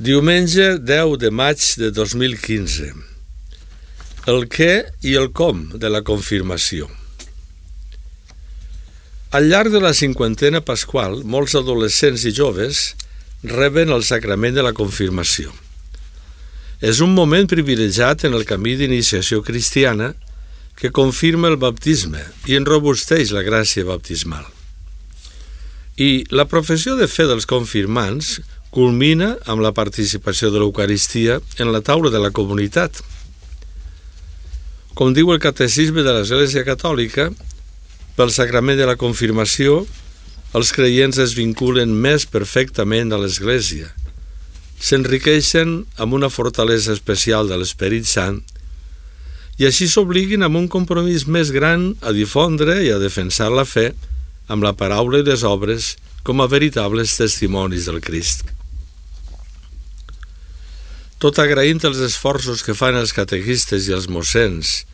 Diumenge 10 de maig de 2015. El què i el com de la confirmació. Al llarg de la cinquantena pasqual, molts adolescents i joves reben el sacrament de la confirmació. És un moment privilegiat en el camí d'iniciació cristiana que confirma el baptisme i enrobusteix la gràcia baptismal. I la professió de fe dels confirmants culmina amb la participació de l'Eucaristia en la taula de la comunitat. Com diu el Catecisme de l'Església Catòlica, pel sacrament de la confirmació, els creients es vinculen més perfectament a l'Església, s'enriqueixen amb una fortalesa especial de l'Esperit Sant i així s'obliguin amb un compromís més gran a difondre i a defensar la fe amb la paraula i les obres com a veritables testimonis del Crist. Tot agraint els esforços que fan els catequistes i els mossens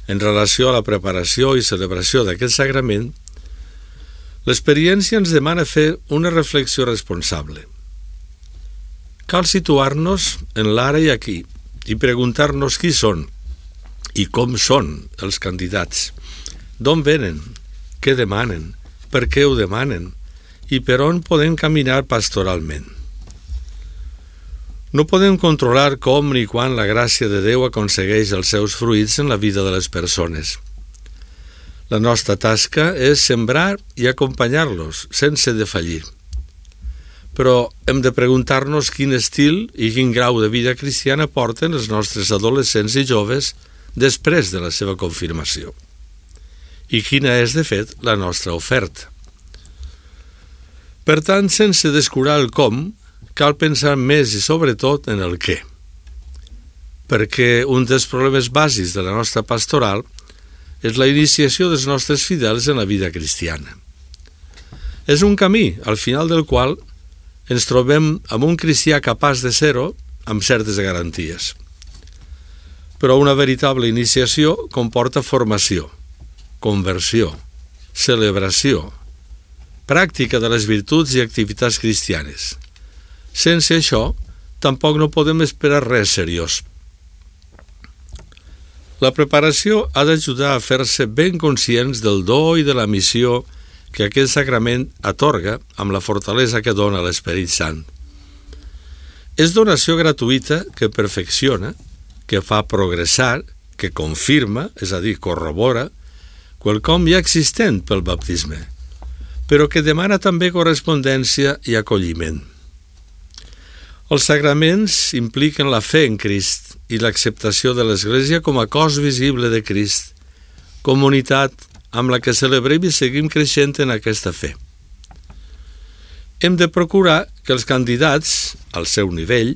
en relació a la preparació i celebració d'aquest sagrament, l'experiència ens demana fer una reflexió responsable. Cal situar-nos en l'ara i aquí i preguntar-nos qui són i com són els candidats, d'on venen, què demanen, per què ho demanen i per on podem caminar pastoralment. No podem controlar com ni quan la gràcia de Déu aconsegueix els seus fruits en la vida de les persones. La nostra tasca és sembrar i acompanyar-los, sense defallir. Però hem de preguntar-nos quin estil i quin grau de vida cristiana porten els nostres adolescents i joves després de la seva confirmació. I quina és, de fet, la nostra oferta. Per tant, sense descurar el com, cal pensar més i sobretot en el què. Perquè un dels problemes bàsics de la nostra pastoral és la iniciació dels nostres fidels en la vida cristiana. És un camí, al final del qual ens trobem amb un cristià capaç de ser-ho amb certes garanties. Però una veritable iniciació comporta formació, conversió, celebració, pràctica de les virtuts i activitats cristianes. Sense això, tampoc no podem esperar res seriós. La preparació ha d'ajudar a fer-se ben conscients del do i de la missió que aquest sacrament atorga amb la fortalesa que dona l'Esperit Sant. És donació gratuïta que perfecciona, que fa progressar, que confirma, és a dir, corrobora, quelcom ja existent pel baptisme, però que demana també correspondència i acolliment. Els sagraments impliquen la fe en Crist i l'acceptació de l'Església com a cos visible de Crist, comunitat amb la que celebrem i seguim creixent en aquesta fe. Hem de procurar que els candidats, al seu nivell,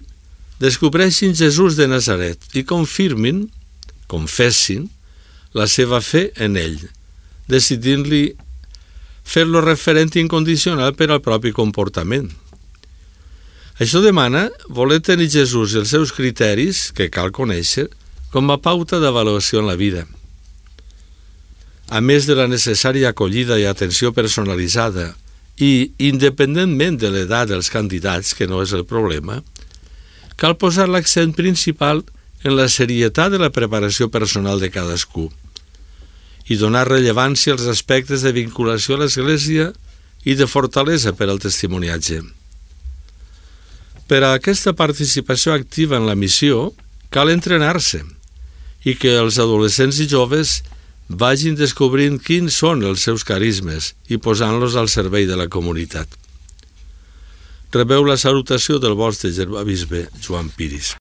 descobreixin Jesús de Nazaret i confirmin, confessin, la seva fe en ell, decidint-li fer-lo referent incondicional per al propi comportament. Això demana voler tenir Jesús i els seus criteris, que cal conèixer, com a pauta d'avaluació en la vida. A més de la necessària acollida i atenció personalitzada i, independentment de l'edat dels candidats, que no és el problema, cal posar l'accent principal en la serietat de la preparació personal de cadascú i donar rellevància als aspectes de vinculació a l'Església i de fortalesa per al testimoniatge. Per a aquesta participació activa en la missió, cal entrenar-se i que els adolescents i joves vagin descobrint quins són els seus carismes i posant-los al servei de la comunitat. Rebeu la salutació del vostre germà bisbe Joan Piris.